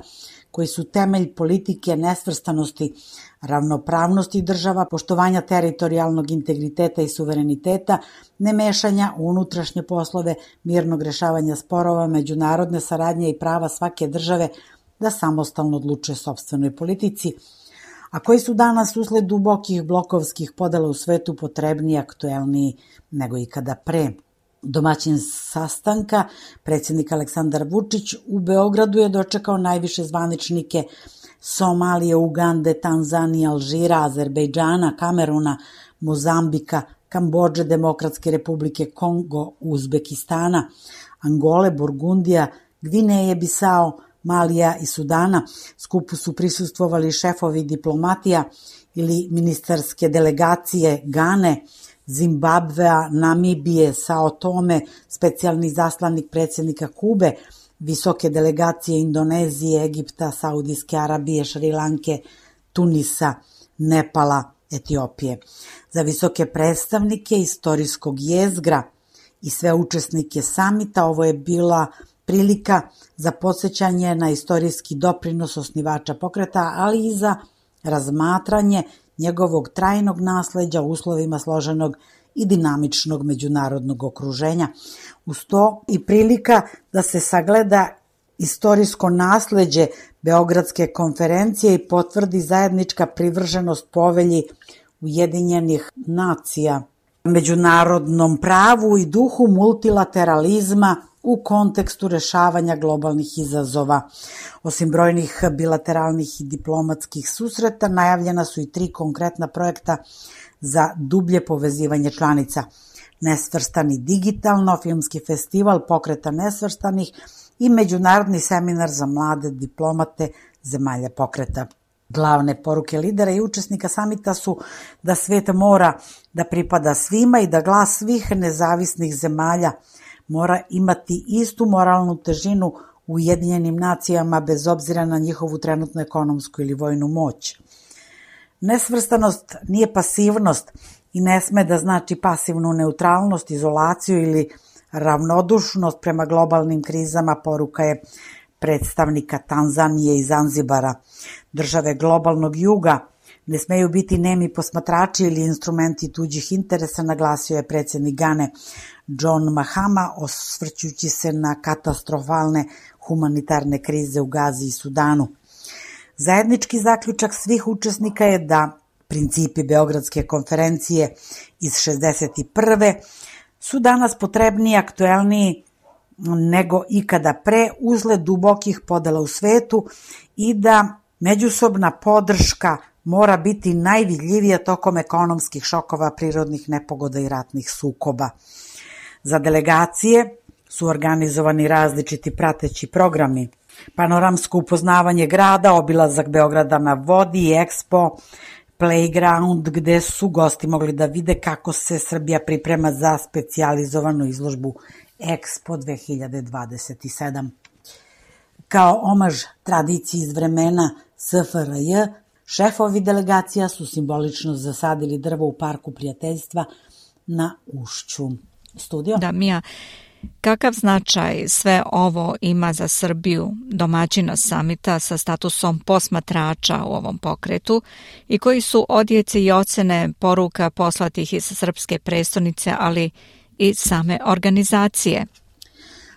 koji su temelj politike nesvrstanosti, ravnopravnosti država, poštovanja teritorijalnog integriteta i suvereniteta, nemešanja u unutrašnje poslove, mirnog rešavanja sporova, međunarodne saradnje i prava svake države da samostalno odlučuje sopstvenoj politici, a koji su danas usled dubokih blokovskih podela u svetu potrebniji i aktuelniji nego ikada pre. Domaćin sastanka, predsjednik Aleksandar Vučić, u Beogradu je dočekao najviše zvaničnike Somalije, Ugande, Tanzanije, Alžira, Azerbejdžana, Kameruna, Mozambika, Kambodže, Demokratske republike Kongo, Uzbekistana, Angole, Burgundija, Gvineje, Bisao, Malija i Sudana. Skupu su prisustvovali šefovi diplomatija ili ministarske delegacije Gane, Zimbabvea, Namibije, Sao Tome, specijalni zaslanik predsjednika Kube, visoke delegacije Indonezije, Egipta, Saudijske Arabije, Šrilanke, Tunisa, Nepala, Etiopije. Za visoke predstavnike istorijskog jezgra i sve učesnike samita ovo je bila prilika za podsjećanje na istorijski doprinos osnivača pokreta, ali i za razmatranje njegovog trajnog nasleđa u uslovima složenog i dinamičnog međunarodnog okruženja. Uz to i prilika da se sagleda istorijsko nasleđe Beogradske konferencije i potvrdi zajednička privrženost povelji Ujedinjenih nacija, međunarodnom pravu i duhu multilateralizma u kontekstu rešavanja globalnih izazova. Osim brojnih bilateralnih i diplomatskih susreta, najavljena su i tri konkretna projekta za dublje povezivanje članica. Nesvrstani digitalno, filmski festival pokreta nesvrstanih i međunarodni seminar za mlade diplomate zemalja pokreta. Glavne poruke lidera i učesnika samita su da svet mora da pripada svima i da glas svih nezavisnih zemalja mora imati istu moralnu težinu u Ujedinjenim nacijama bez obzira na njihovu trenutnu ekonomsku ili vojnu moć. Nesvrstanost nije pasivnost i ne sme da znači pasivnu neutralnost, izolaciju ili ravnodušnost prema globalnim krizama, poruka je predstavnika Tanzanije i Zanzibara. Države globalnog juga ne smeju biti nemi posmatrači ili instrumenti tuđih interesa, naglasio je predsjednik Gane John Mahama, osvrćući se na katastrofalne humanitarne krize u Gazi i Sudanu. Zajednički zaključak svih učesnika je da principi Beogradske konferencije iz šezdeset prve su danas potrebniji i aktuelniji nego ikada pre usled dubokih podela u svetu i da međusobna podrška mora biti najvidljivija tokom ekonomskih šokova, prirodnih nepogoda i ratnih sukoba. Za delegacije su organizovani različiti prateći programi. Panoramsko upoznavanje grada, obilazak Beograda na vodi, Expo, Playground, gde su gosti mogli da vide kako se Srbija priprema za specijalizovanu izložbu Expo dve hiljade dvadeset sedam. Kao omaž tradiciji iz vremena S F R J, šefovi delegacija su simbolično zasadili drvo u Parku prijateljstva na Ušću. Studio? Da, Mija, kakav značaj sve ovo ima za Srbiju, domaćina samita sa statusom posmatrača u ovom pokretu i koji su odjeci i ocene poruka poslatih iz srpske prestonice, ali i same organizacije?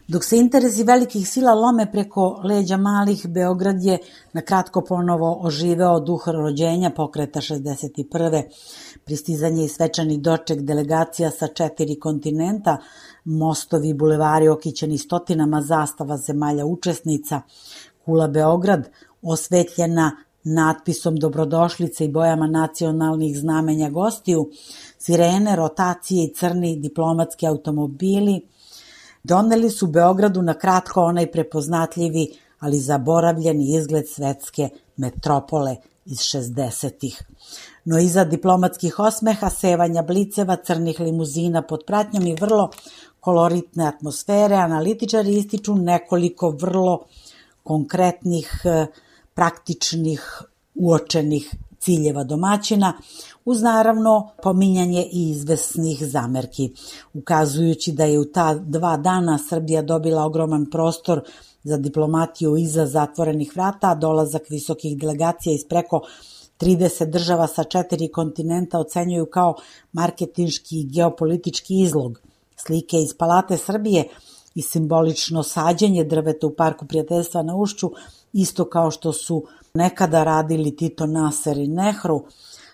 Dok se interesi velikih sila lome preko leđa malih, Beograd je na kratko ponovo oživeo duh rođenja pokreta šezdeset prve. Pristizanje i svečani doček delegacija sa četiri kontinenta, mostovi i bulevari okićeni stotinama zastava zemalja učesnica, kula Beograd osvetljena natpisom dobrodošlice i bojama nacionalnih znamenja gostiju, sirene, rotacije i crni diplomatski automobili doneli su Beogradu na kratko onaj prepoznatljivi, ali zaboravljeni izgled svetske metropole iz šezdesetih. No iza diplomatskih osmeha, sevanja bliceva, crnih limuzina pod pratnjom i vrlo koloritne atmosfere, analitičari ističu nekoliko vrlo konkretnih, praktičnih, uočenih ciljeva domaćina, uz naravno pominjanje i izvesnih zamerki, ukazujući da je u ta dva dana Srbija dobila ogroman prostor za diplomatiju iza zatvorenih vrata, a dolazak visokih delegacija iz preko trideset država sa četiri kontinenta ocenjuju kao marketinški i geopolitički izlog. Slike iz Palate Srbije i simbolično sađenje drveta u Parku prijateljstva na Ušću, isto kao što su nekada radili Tito, Nasser i Nehru,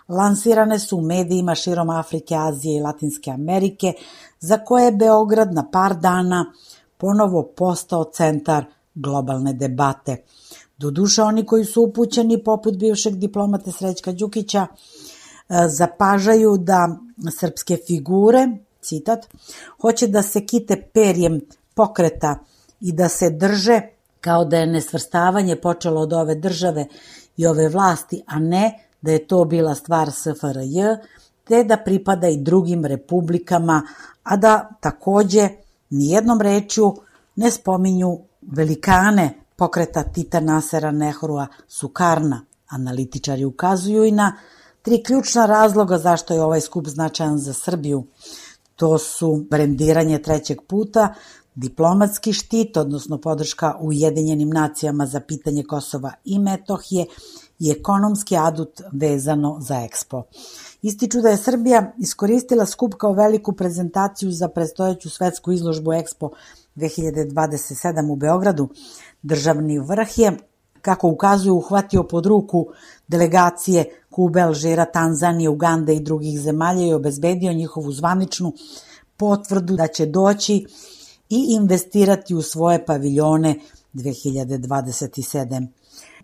lansirane su u medijima širom Afrike, Azije i Latinske Amerike, za koje je Beograd na par dana ponovo postao centar globalne debate. Doduše, oni koji su upućeni, poput bivšeg diplomate Srećka Đukića, zapažaju da srpske figure, citat, hoće da se kite perjem pokreta i da se drže kao da je nesvrstavanje počelo od ove države i ove vlasti, a ne da je to bila stvar S F R J, te da pripada i drugim republikama, a da takođe nijednom rečju ne spominju velikane pokreta Tita, Nasera, Nehrua, Sukarna. Analitičari ukazuju i na tri ključna razloga zašto je ovaj skup značajan za Srbiju. To su brendiranje trećeg puta, diplomatski štit, odnosno podrška Ujedinjenim nacijama za pitanje Kosova i Metohije i ekonomski adut vezano za Ekspo. Ističu da je Srbija iskoristila skup kao veliku prezentaciju za predstojeću svetsku izložbu Ekspo dve hiljade dvadeset sedam u Beogradu. Državni vrh je, kako ukazuju, uhvatio pod ruku delegacije Kube, Alžira, Tanzanije, Ugande i drugih zemalja i obezbedio njihovu zvaničnu potvrdu da će doći i investirati u svoje paviljone dve hiljade dvadeset sedam.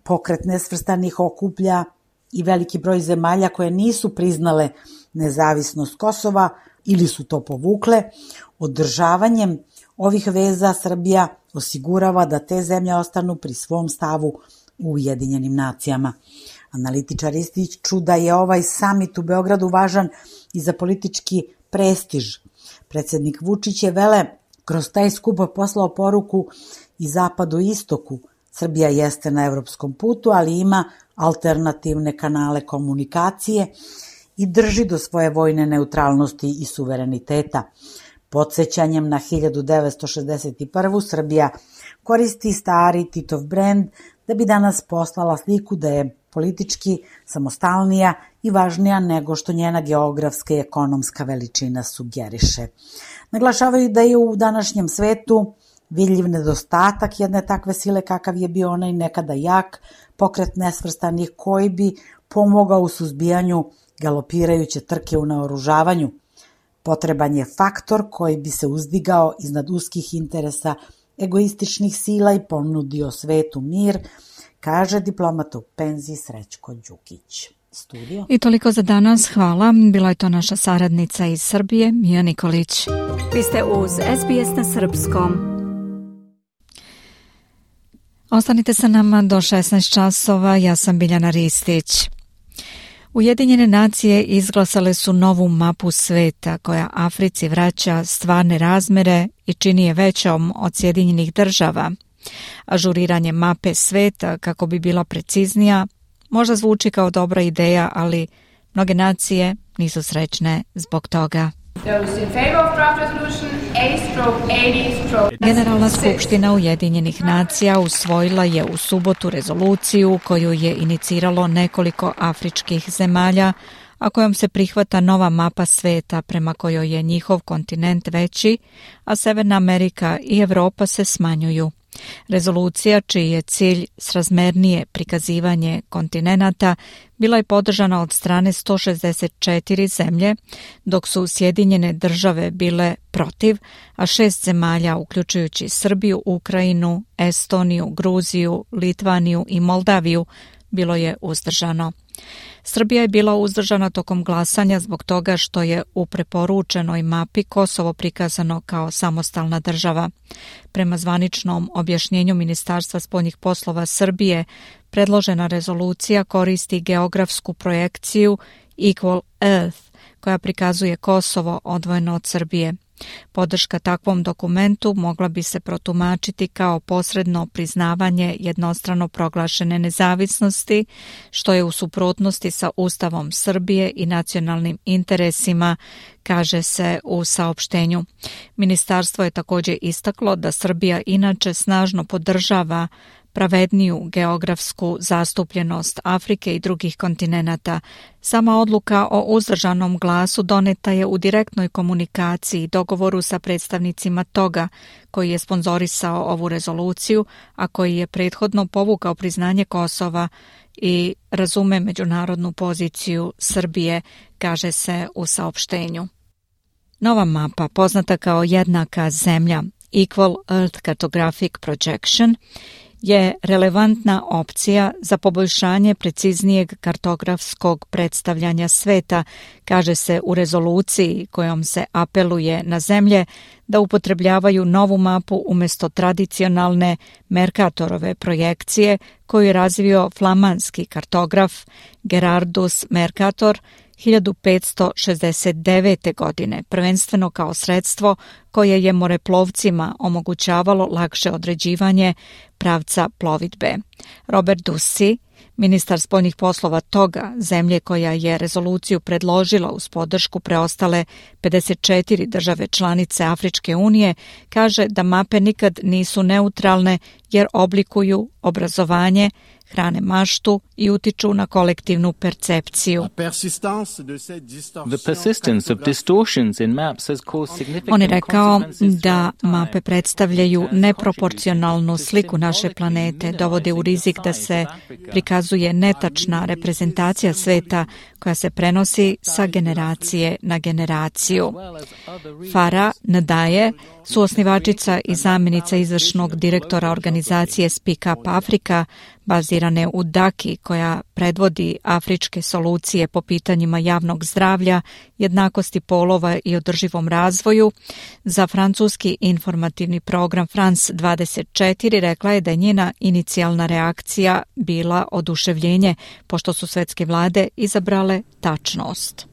Pokret nesvrstanih okuplja i veliki broj zemalja koje nisu priznale nezavisnost Kosova ili su to povukle. Održavanjem ovih veza Srbija osigurava da te zemlje ostanu pri svom stavu u Ujedinjenim nacijama. Analitičari ističu da je ovaj samit u Beogradu važan i za politički prestiž. Predsednik Vučić je vele kroz taj skup poslao poruku i zapadu i istoku. Srbija jeste na evropskom putu, ali ima alternativne kanale komunikacije i drži do svoje vojne neutralnosti i suvereniteta. Podsjećanjem na hiljadu devetsto šezdeset prvu. Srbija koristi stari Titov brend da bi danas poslala sliku da je politički samostalnija i važnija nego što njena geografska i ekonomska veličina sugeriše. Naglašavaju da je u današnjem svetu vidljiv nedostatak jedne takve sile kakav je bio onaj nekada jak pokret nesvrstanih koji bi pomogao u suzbijanju galopirajuće trke u naoružavanju. Potreban je faktor koji bi se uzdigao iznad uskih interesa egoističnih sila i ponudio svetu mir, kaže diplomata u penziji Srećko Đukić. Studio. I toliko za danas, hvala. Bila je to naša saradnica iz Srbije, Mija Nikolić. Vi ste uz S B S na srpskom. Ostanite sa nama do šesnaest časova, ja sam Biljana Ristić. Ujedinjene nacije izglasale su novu mapu sveta koja Africi vraća stvarne razmere i čini je većom od Sjedinjenih država. Ažuriranje mape sveta kako bi bila preciznija možda zvuči kao dobra ideja, ali mnoge nacije nisu srećne zbog toga. Generalna skupština Ujedinjenih nacija usvojila je u subotu rezoluciju koju je iniciralo nekoliko afričkih zemalja, a kojom se prihvata nova mapa sveta prema kojoj je njihov kontinent veći, a Severna Amerika i Evropa se smanjuju. Rezolucija, čiji je cilj srazmernije prikazivanje kontinenata, bila je podržana od strane sto šezdeset četiri zemlje, dok su Sjedinjene države bile protiv, a šest zemalja, uključujući Srbiju, Ukrajinu, Estoniju, Gruziju, Litvaniju i Moldaviju, bilo je uzdržano. Srbija je bila uzdržana tokom glasanja zbog toga što je u preporučenoj mapi Kosovo prikazano kao samostalna država. Prema zvaničnom objašnjenju Ministarstva spoljnih poslova Srbije, predložena rezolucija koristi geografsku projekciju Equal Earth, koja prikazuje Kosovo odvojeno od Srbije. Podrška takvom dokumentu mogla bi se protumačiti kao posredno priznavanje jednostrano proglašene nezavisnosti, što je u suprotnosti sa Ustavom Srbije i nacionalnim interesima, kaže se u saopštenju. Ministarstvo je također istaklo da Srbija inače snažno podržava pravedniju geografsku zastupljenost Afrike i drugih kontinenata. Sama odluka o uzdržanom glasu doneta je u direktnoj komunikaciji i dogovoru sa predstavnicima toga koji je sponzorisao ovu rezoluciju, a koji je prethodno povukao priznanje Kosova i razume međunarodnu poziciju Srbije, kaže se u saopštenju. Nova mapa, poznata kao jednaka zemlja, Equal Earth Cartographic Projection, je relevantna opcija za poboljšanje preciznijeg kartografskog predstavljanja sveta, kaže se u rezoluciji kojom se apeluje na zemlje da upotrebljavaju novu mapu umjesto tradicionalne Mercatorove projekcije koju je razvio flamanski kartograf Gerardus Mercator hiljadu petsto šezdeset devete. godine, prvenstveno kao sredstvo koje je moreplovcima omogućavalo lakše određivanje pravca plovidbe. Robert Ducy, ministar spoljnih poslova toga, zemlje koja je rezoluciju predložila uz podršku preostale pedeset četiri države članice Afričke unije, kaže da mape nikad nisu neutralne jer oblikuju obrazovanje, hrane maštu i utiču na kolektivnu percepciju. On je rekao da mape predstavljaju neproporcionalnu sliku naše planete, dovode u rizik da se prikazuje netačna reprezentacija sveta koja se prenosi sa generacije na generaciju. Farah Nadaye, suosnivačica i zamjenica izvršnog direktora organizacije Speak Up Africa, bazirane u Daki, koja predvodi afričke solucije po pitanjima javnog zdravlja, jednakosti polova i održivom razvoju, za francuski informativni program France dvadeset četiri rekla je da je njena inicijalna reakcija bila oduševljenje, pošto su svetske vlade izabrale tačnost.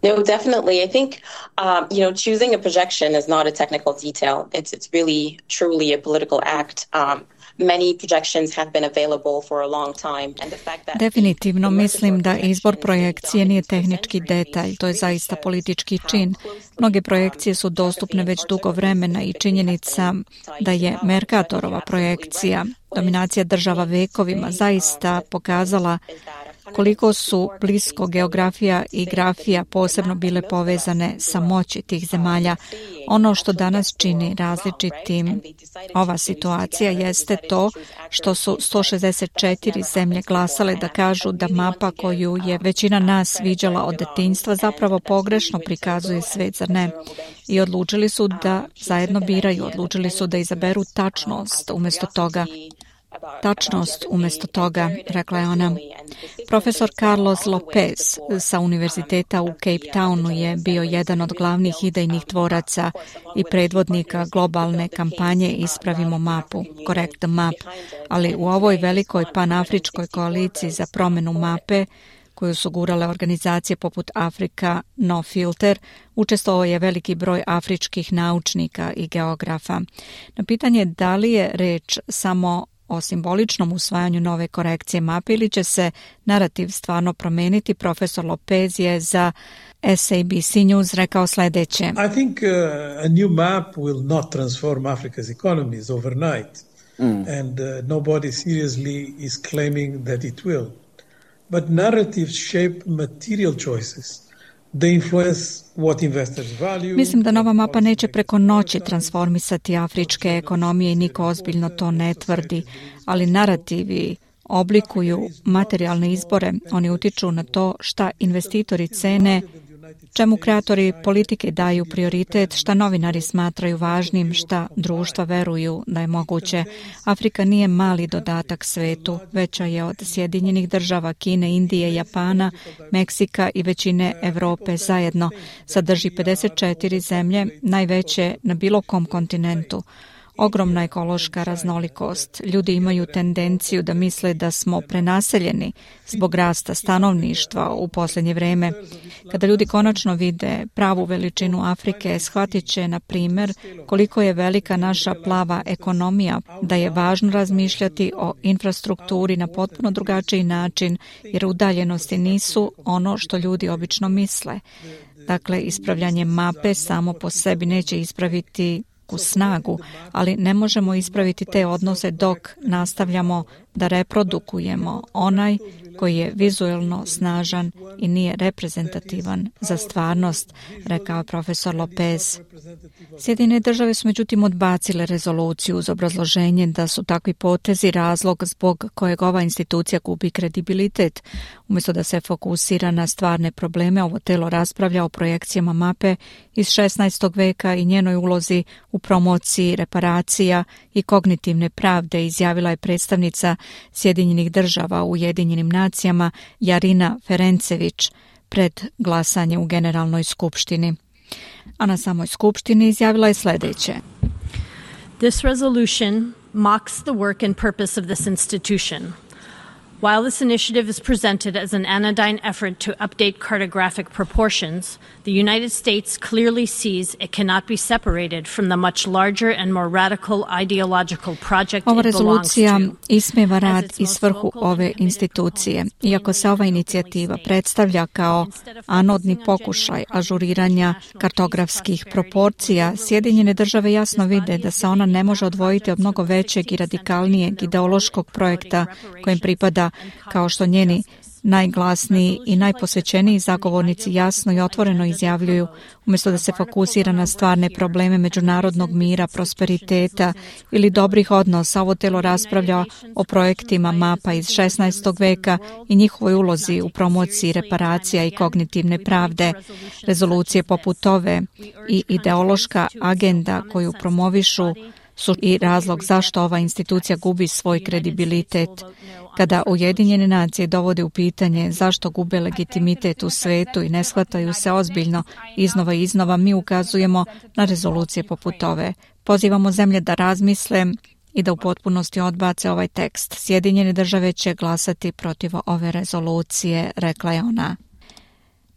No, definitely. I think, um, you know, choosing a projection is not a technical detail. It's it's really, truly a political act. Um, many projections have been available for a long time, and the fact that Definitivno mislim da izbor projekcije nije tehnički detalj, to je zaista politički čin. Mnoge projekcije su dostupne već dugo vremena i činjenica da je Mercatorova projekcija, dominacija država vekovima, zaista pokazala koliko su blisko geografija i grafija posebno bile povezane sa moći tih zemalja. Ono što danas čini različitim ova situacija jeste to što su sto šezdeset četiri zemlje glasale da kažu da mapa koju je većina nas viđala od detinjstva zapravo pogrešno prikazuje svet, zar ne? I odlučili su da zajedno biraju, odlučili su da izaberu tačnost umjesto toga. Tačnost umjesto toga, rekla je ona. Profesor Carlos Lopez sa univerziteta u Cape Townu je bio jedan od glavnih idejnih tvoraca i predvodnika globalne kampanje Ispravimo mapu, Correct the Map, ali u ovoj velikoj panafričkoj koaliciji za promjenu mape, koju su gurale organizacije poput Africa No Filter, učestvovao je veliki broj afričkih naučnika i geografa. Na pitanje da li je reč samo o simboličnom usvajanju nove korekcije mape ili će se narativ stvarno promijeniti, profesor Lopez je za S A B C News rekao sljedeće. I think uh, a new map will not transform Africa's economies overnight, mm. and uh, nobody seriously is claiming that it will. But narratives shape material choices. Mislim da nova mapa neće preko noći transformisati afričke ekonomije i niko ozbiljno to ne tvrdi, ali narativi oblikuju materijalne izbore, oni utiču na to šta investitori cene čemu kreatori politike daju prioritet, šta novinari smatraju važnim, šta društva veruju da je moguće. Afrika nije mali dodatak svetu, veća je od Sjedinjenih država, Kine, Indije, Japana, Meksika i većine Evrope zajedno. Sadrži pedeset četiri zemlje, najveće na bilo kom kontinentu. Ogromna ekološka raznolikost. Ljudi imaju tendenciju da misle da smo prenaseljeni zbog rasta stanovništva u posljednje vreme. Kada ljudi konačno vide pravu veličinu Afrike, shvatit će, na primjer, koliko je velika naša plava ekonomija, da je važno razmišljati o infrastrukturi na potpuno drugačiji način, jer udaljenosti nisu ono što ljudi obično misle. Dakle, ispravljanje mape samo po sebi neće ispraviti u snagu, ali ne možemo ispraviti te odnose dok nastavljamo da reprodukujemo onaj koji je vizuelno snažan i nije reprezentativan za stvarnost, rekao profesor Lopez. Sjedinjene države su međutim odbacile rezoluciju uz obrazloženje da su takvi potezi razlog zbog kojeg ova institucija gubi kredibilitet. Umjesto da se fokusira na stvarne probleme, ovo telo raspravlja o projekcijama mape iz šesnaestog veka i njenoj ulozi u promociji reparacija i kognitivne pravde, izjavila je predstavnica Sjedinjenih država u Ujedinjenim nacijama Jarina Ferencević pred glasanje u Generalnoj skupštini. A na samoj skupštini izjavila je sljedeće. This resolution mocks the work and purpose of this institution. While this initiative is presented as an anodyne effort to update cartographic proportions, the United States clearly sees it cannot be separated from the much larger and more radical ideological project Ova it belongs rezolucija to. ismeva rad i svrhu ove institucije. Iako se ova inicijativa predstavlja kao anodni pokušaj ažuriranja kartografskih proporcija, Sjedinjene države jasno vide da se ona ne može odvojiti od mnogo većeg i radikalnijeg ideološkog projekta kojem pripada, kao što njeni najglasniji i najposvećeniji zagovornici jasno i otvoreno izjavljuju, umjesto da se fokusira na stvarne probleme međunarodnog mira, prosperiteta ili dobrih odnosa. Ovo telo raspravlja o projektima mapa iz šesnaestog veka i njihovoj ulozi u promociji reparacija i kognitivne pravde. Rezolucije poput ove i ideološka agenda koju promovišu su i razlog zašto ova institucija gubi svoj kredibilitet. Kada Ujedinjene nacije dovode u pitanje zašto gube legitimitet u svetu i ne shvataju se ozbiljno iznova i iznova, mi ukazujemo na rezolucije poput ove. Pozivamo zemlje da razmisle i da u potpunosti odbace ovaj tekst. Sjedinjene države će glasati protiv ove rezolucije, rekla je ona.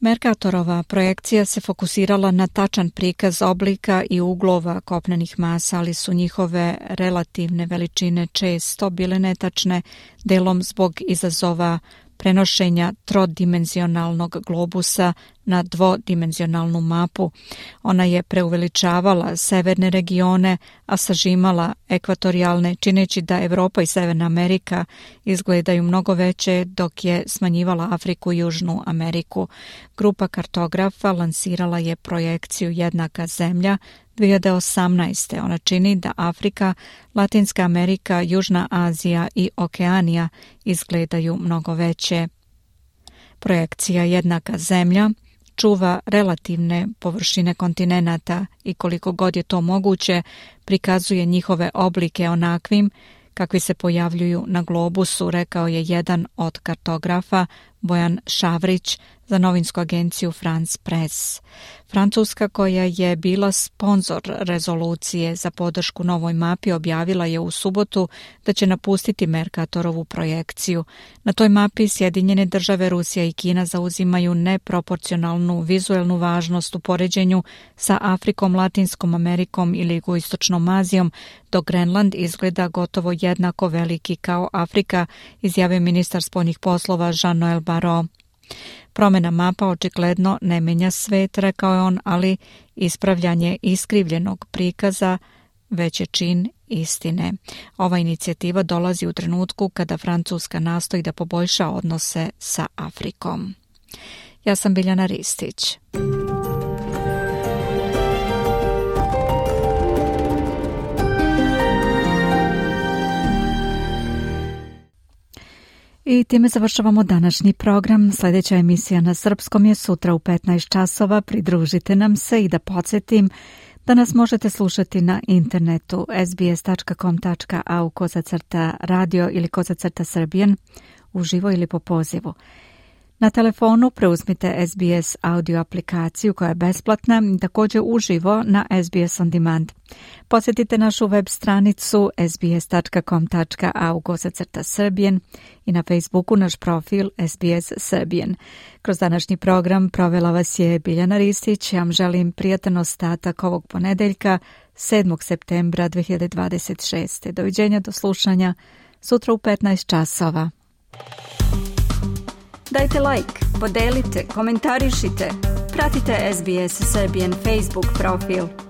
Mercatorova projekcija se fokusirala na tačan prikaz oblika i uglova kopnenih masa, ali su njihove relativne veličine često bile netačne, delom zbog izazova prenošenja trodimenzionalnog globusa na dvodimenzionalnu mapu. Ona je preuveličavala severne regione, a sažimala ekvatorijalne, čineći da Evropa i Severna Amerika izgledaju mnogo veće, dok je smanjivala Afriku i Južnu Ameriku. Grupa kartografa lansirala je projekciju Jednaka zemlja dvije hiljade osamnaeste. Ona čini da Afrika, Latinska Amerika, Južna Azija i Okeanija izgledaju mnogo veće. Projekcija Jednaka zemlja čuva relativne površine kontinenata i koliko god je to moguće prikazuje njihove oblike onakvim kakvi se pojavljuju na globusu, rekao je jedan od kartografa, Bojan Šavrić, za novinsku agenciju France Press. Francuska, koja je bila sponzor rezolucije za podršku novoj mapi, objavila je u subotu da će napustiti Mercatorovu projekciju. Na toj mapi Sjedinjene države, Rusija i Kina zauzimaju neproporcionalnu vizuelnu važnost u poređenju sa Afrikom, Latinskom Amerikom ili Jugoistočnom Azijom, dok Grenland izgleda gotovo jednako veliki kao Afrika, izjavio ministar spoljnih poslova Jean-Noël Barrot. Promjena mapa očigledno ne menja svet, rekao je on, ali ispravljanje iskrivljenog prikaza već je čin istine. Ova inicijativa dolazi u trenutku kada Francuska nastoji da poboljša odnose sa Afrikom. Ja sam Biljana Ristić. I time završavamo današnji program. Sljedeća emisija na srpskom je sutra u petnaest časova. Pridružite nam se i da podsjetim da nas možete slušati na internetu sbs.com.au kozacrta radio ili kozacrta srbijan uživo ili po pozivu. Na telefonu preuzmite S B S audio aplikaciju koja je besplatna, također uživo na S B S On Demand. Posjetite našu web stranicu sbs.com.au kozacrta srbijan i na Facebooku naš profil S B S Srbijan. Kroz današnji program provela vas je Biljana Ristić. Ja vam želim prijatan ostatak ovog ponedeljka, sedmog septembra dve hiljade dvadeset šeste. Doviđenja, do slušanja sutra u petnaest časova. Dajte like, podelite, komentarišite, pratite S B S Serbian Facebook profil.